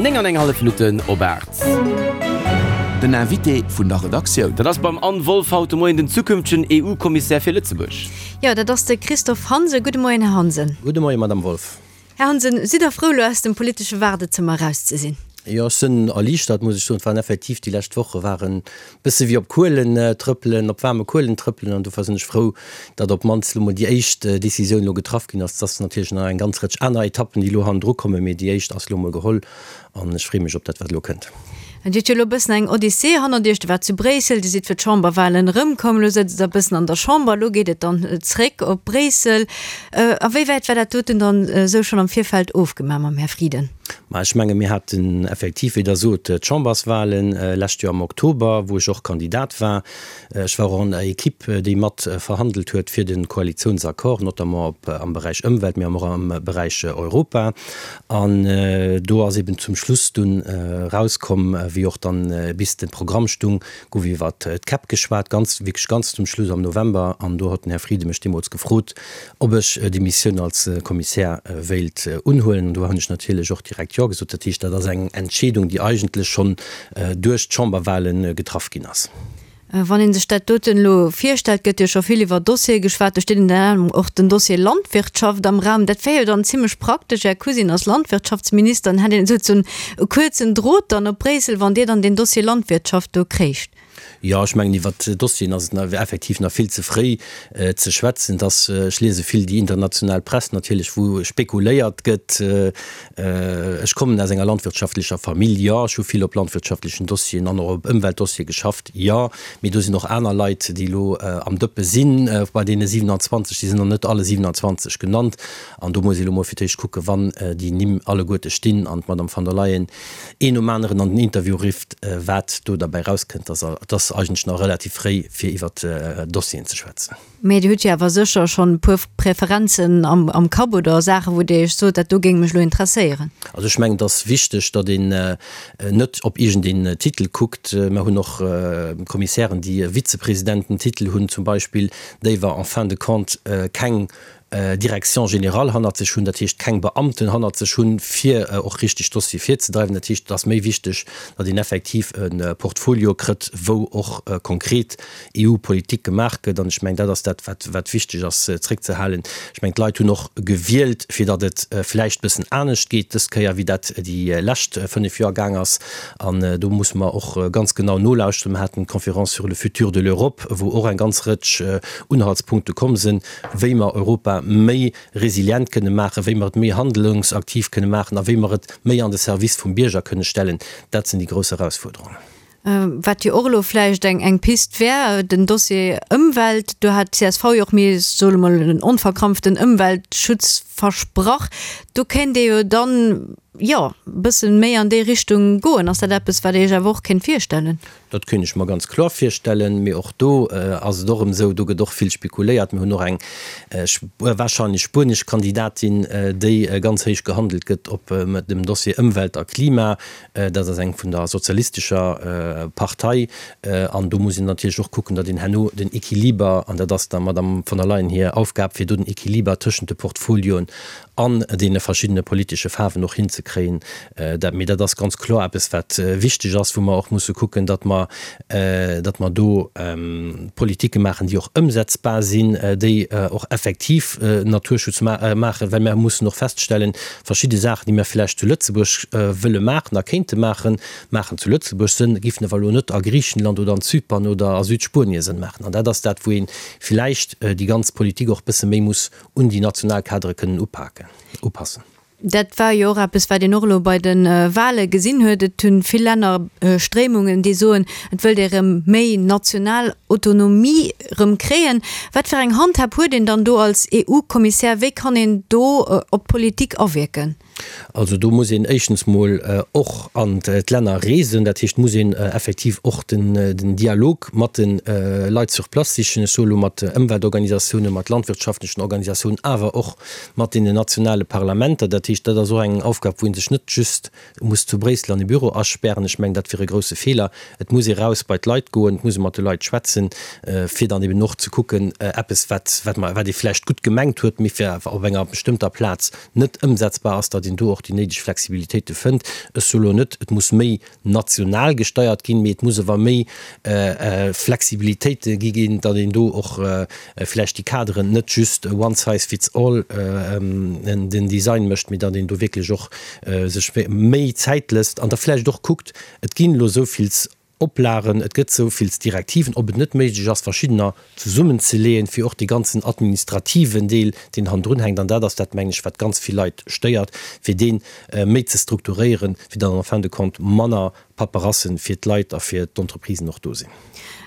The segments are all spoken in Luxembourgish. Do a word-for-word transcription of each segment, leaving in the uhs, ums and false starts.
Néng an eng hallef Minutten op aacht. Den Invité vun der Redaktioun. Dat ass beim Anne Wolff haut de Moien den zukünftegen E U-Kommissär fir Lëtzebuerg. Jo, dat ass de Christophe Hansen. Gudde Moien, Här Hansen. Gudde Moien, Madame Wolff. Här Hansen, sidd Der frou, elo aus dem politesche Waardezëmmer eraus ze sinn? Jo, ech sinn erliichtert, muss ech soen. Et waren effektiv, déi lescht Woche waren e bësse wéi op Kuelen trëppelen, op waarme Kuelen trëppelen. An dofir sinn ech frou, datt op d'mannst elo mol déi éischt Decisioun elo getraff ginn ass. Et ass natierlech nach eng ganz Rëtsch aner Etappen, déi elo hannendru kommen, mee déi éischt ass elo mol geholl an ech freeë mech op dat, wat elo kënnt. Dir hutt jo elo e bëssen eng Odyssee hannert Iech. Dir waart zu Bréissel, Dir sidd fir d'Chamberwahlen erëmkomm, elo sëtzt Der e bëssen an der Chamber, elo geet et dann zréck op Bréissel. A wéi wäit war dat doten dann esou schonn am Virfeld ofgemaach mam Här Frieden? Ma ech menge mir haten effektiv, wéi Der sot, d'Chamberswahlen lescht Joer am Oktober, wou ech och Kandidat war. Ech war och an der Equipe, déi mat verhandelt huet fir de Koalitiounsaccord, notamment op am Beräich Ëmwelt, mee och am Beräich Europa. An do ass eben zum Schluss dunn erauskomm, wéi och dann bis de Programm stung, gouf iwwert d'Käpp geschwat, ganz, wierklech ganz zum Schluss am November. An do huet den Här Frieden mech deemools gefrot, ob ech déi Missioun als Kommissär wéilt unhuelen. An do hunn ech natierlech och direkt Jo gesot. Dat heescht, dat ass eng Entscheedung, déi eigentlech schonn duerch d'Chamberwahlen getraff ginn ass. Wann ee sech dat doten elo virstellt, gëtt jo scho vill iwwer Dossiere geschwat, do steet ënner anerem och den Dossier Landwirtschaft am Raum. Dat wär jo dann zimlech praktesch, Är Cousine ass Landwirtschaftsminister, dann hätt een esou e kuerzen Drot dann op Bréissel, wann Dir dann deen Dossier Landwirtschaft do kréicht. Jo, ech mengen, iwwert Dossieren ass et effektiv nach vill ze fréi ze schwätzen. Et ass, ech liese vill déi international Press natierlech, wou spekuléiert gëtt. Ech kommen aus enger landwirtschaftlecher Famill, jo. Ech hu vill op landwirtschaftlechen Dossieren an och op Ëmweltdossiere geschafft, jo. Mee do sinn och aner Leit, déi elo am Dëppe sinn bei deene siewenundzwanzeg. Déi sinn nach net alle siewenundzwanzeg genannt. An do muss ee elo mol fir d'éischt kucken, wann déi Nimm alleguerte stinn an d'Madame von der Leyen een nom aneren an den Interview rifft, wat do derbäi rauskënnt. Et ass eigentlech nach relativ fréi, fir iwwert Dossieren ze schwätzen. Mee Dir hutt jo awer sécher schonn e puer Preferenzen am Kapp oder Saachen, wou Dir Iech sot, dat do géing mech elo interesséieren. Also ech mengen, et ass wichteg, datt een net op iergendeen Titel kuckt. Mer hunn och Kommissären, déi e Vizepresidententitel hunn zum Beispill, déi wa en fin de compte keng Direction générale hannert sech hunn, dat heescht keng Beamten hannert sech hunn, fir och richteg Dossiere virzedreiwen. Dat heescht, et ass méi wichteg, datt een effektiv e Portfolio kritt, wou och konkret E U-Politik gemaach gëtt. An ech mengen, dat ass dat, wat wat wichteg ass zréckzehalen. Ech mengen, d'Leit hunn och gewielt, fir datt et vläicht bëssen anescht geet dës Kéier, wéi dat déi lescht fënnef Joer gaang ass. An do musse mer och ganz genau nolauschteren. Mer haten d'Conférence sur le futur de l'Europe, wou och eng ganz Rëtsch Unhaltspunkte komm sinn, wéi mer Europa méi resilient kënne maachen, wéi mer et méi handlungsaktiv kënne maachen a wéi mer et méi an de Service vum Bierger kënne stellen, dat sinn déi grouss Erausfuerderungen. Wat jo och elo vläicht eng eng Pist wär, den Dossier Ëmwelt, do hat d'C S V jo och, mir soe mol, en onverkrampften Ëmweltschutz versprach. Do kéint ee jo dann, jo, e bësse méi an déi Richtung goen. Ass dat eppes, wat Dir Iech awer och kéint virstellen? Dat kéint ech mer ganz kloer virstellen. Mee och do ass et och erëm esou, do gëtt och vill spekuléiert. Mir hunn och eng wahrscheinlech spuenesch Kandidatin, déi ganz héich gehandelt gëtt op dem Dossier Ëmwelt a Klima. Dat ass eng vun der sozialistescher Partei. An do muss een natierlech och kucken, datt een herno den Equiliber, an dat ass der Madame von der Leyen hir Aufgab, fir do den Equiliber tëschent de Portfolioen an deene verschiddene politesche Faarwen och hinzekréien. Dat, mee dat ass ganz kloer eppes, wat wichteg ass, wou mer och musse kucken, datt mer, datt mer do Politike maachen, déi och ëmsetzbar sinn, déi och effektiv Naturschutz maachen, well mer mussen och feststellen, verschidde Saachen, déi mer vläicht zu Lëtzebuerg wëlle maachen a kéinte maachen, maachen zu Lëtzebuerg Sënn, géifen awer elo net a Griichenland oder an Zypern oder a Südspuenie Sënn maachen. An dat ass dat, wou ee vläicht déi ganz Politik och e bësse méi muss un déi national Kadere kënnen upaken, upassen. Dat war jo och eppes, wat een och elo bei de Wahle gesinn huet. Et hunn vill Länner Stréimungen, déi soen, et wëllt ee rëm méi national Autonomie rëm kréien. Wat fir eng Handhab huet een dann do als E U-Kommissär? Wéi kann een do op d'Politik awierken? Also do muss een éischtens mol och an d'Länner reesen. Dat heescht, muss een effektiv och den Dialog mat de Leit sur place sichen. Ech soe lo mat Ëmweltorganisatiounen, mat landwirtschaftlechen Organisatiounen, awer och mat deenen nationale Parlamenter. Dat heescht, dat ass och eng Aufgab, wou ee sech net just muss zu Bréissel an e Büro aspären. Ech mengen, dat wier e grouse Feeler. Et muss ee raus bei d'Leit goen, et muss ee mat de Leit schwätzen. setzen, fir dann eben och ze kucken, eppes, wat, wat mer, wat ee vläicht gutt gemengt huet, mee fir awer op enger bestëmmter Plaz net ëmsetzbar ass, datt een do och déi néideg Flexibilitéite fënnt. Ech soe lo net, et muss méi national gesteiert ginn, mee et muss awer méi Flexibilitéite gi ginn, datt een do och vläicht déi Kaderen net just one size fits all den Design mécht, mee datt een do wierklech och sech méi Zäit lësst an da vläicht och kuckt, et ginn elo esou vill Oplagen, et gëtt esou vill Direktiven, ob et net méiglech ass, verschiddener zesummenzeleeën, fir och dee ganzen administrativen Deel, deen hannendrun hänkt, an dat ass dat, mengen ech, wat ganz vill Leit stéiert, fir dee méi ze strukturéieren, fir datt en fin de compte manner Paperassen fir d'Leit a fir d'Entreprisen och do sinn.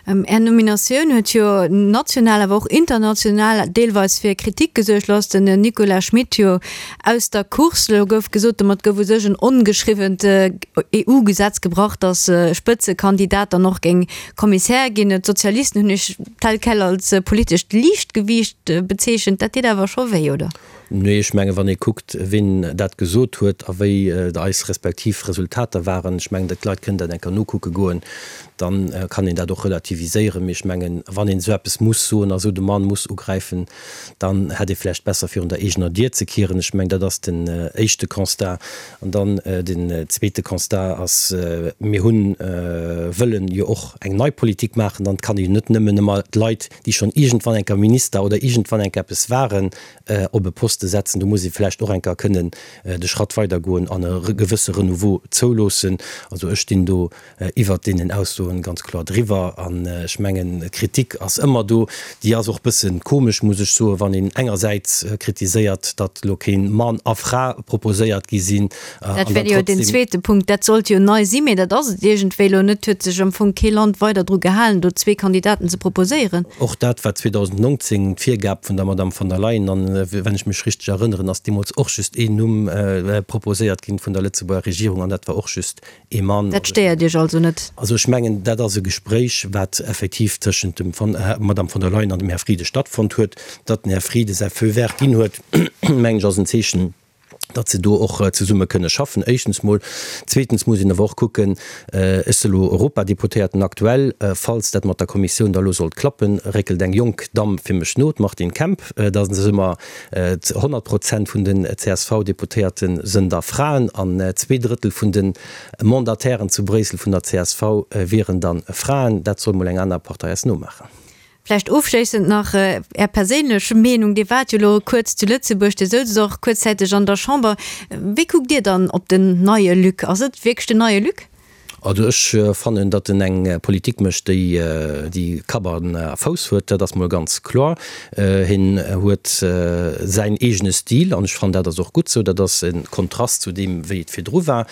Är Nominatioun huet jo national, awer och international deelweis fir Kritik gesuergt. Lo ass den Nicolas Schmit jo aus der Course. Lo gouf gesot, domat gouf u sech en ongeschriwwent EU-Gesetz gebrach, datt e Spëtzekandidat dann och géing Kommissär ginn. D'Sozialisten hunn Iech tel quel als politescht Liichtgewiicht bezeechent. Dat deet awer scho wéi, oder? Nee, ech mengen, wann ee kuckt, wien dat gesot huet a wéi eis respektiv Resultater waren, ech mengen, d'Leit kënnen dat eng Kéier nokucke goen, da kann een dat och relativiséieren. Mee ech mengen, wann een esou eppes muss soen a esou de Mann muss ugräifen, dann hätt ee vläicht besser virun der eegener Dier ze kieren. Ech mengen, dat ass den éischte Constat. An dann den zweete Constat ass, mir hunn, wëllen jo och eng nei Politik maachen. Dann kann ee jo net nëmmen ëmmer d'Leit, déi schonn iergendwann eng Kéier Minister oder iergendwann eng Kéier eppes waren, op e Poste setzen. Do muss ee vläicht och eng Kéier kënnen de Schratt weidergoen an e gewësse Renouveau zouloossen. Also ech stinn do iwwert deenen Aussoen ganz kloer driwwer. An ech mengen, Kritik ass ëmmer do. Déi ass och bësse komesch, muss ech soen, wann een engersäits kritiséiert, datt elo keen Mann a Fra proposéiert gi sinn an dann trotzdem. Dat wär jo den zweete Punkt. Dat sollt jo nei sinn, mee dat ass et iergendwéi elo net. Huet sech am Fong kee Land weider dru gehalen, do zwee Kandidaten ze proposéieren. Och dat war zweedausendnongzéng d'Virgab vun der Madame von der Leyen. An wann ech mech richteg erënneren, ass deemools och just een Numm proposéiert ginn vun der Lëtzebuerger Regierung, an dat war och just ee Mann. Dat stéiert Iech also net? Also ech mengen, dat ass e Gespréich, wat effektiv tëschent dem Madame von der Leyen an dem Här Frieden stattfonnt huet. Datt den Här Frieden säi Feu vert ginn huet, mengen ech, ass en Zeechen, datt se do och zesumme kënne schaffen, éischtens mol. Zweetens muss een awer och kucken, ech si elo Europadeputéierten aktuell, falls dat mat der Kommissioun da elo sollt klappen, réckelt eng jonk Damm fir mech no, d'Martine Kemp. Da si mer honnert Prozent vun den C S V-Deputéierte sënn da Fraen an zwee Drëttel vun de Mandatairen zu Bréissel vun der C S V wieren da Fraen. Dat soll mol eng aner Partei eis nomaachen. Vläicht ofschléissend nach Är perséinlech Meenung, Dir waart jo elo kuerz zu Lëtzebuerg, Dir souzet och kuerzzäiteg an der Chamber. Wéi kuckt Dir dann op den neie Luc? Ass et wierklech den neie Luc? Also ech fannen, datt en eng Politik mécht, déi déi Kapp a Fouss huet, dat ass mol ganz kloer. Hien huet säin eegene Stil an ech fannen, dat ass och gutt esou. Dat ass e Kontrast zu deem, wéi et virdru war.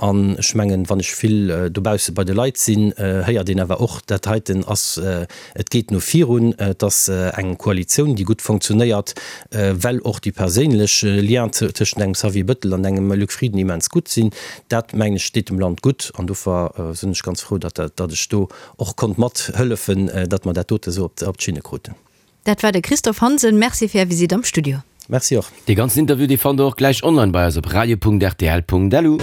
An ech mengen, wann ech vill dobausse bei de Leit sinn, héiert een awer och, dat heiten ass, et geet no virun, et ass eng Koalitioun, déi gutt fonctionnéiert, well och déi perséinlech Liens tëschent engem Xavier Bettel an engem Luc Frieden immens gutt sinn. Dat, mengen ech, steet dem Land gutt an dofir sinn ech ganz frou, datt ech do och konnt mathëllefen, datt mer dat dote esou op d'Schinne kruten. Dat war de Christophe Hansen. Merci fir Är Visitt am Studio. Merci och. Dee ganzen Interview, dee fannt der och gläich online bei eis op radio punkt rtl punkt lu.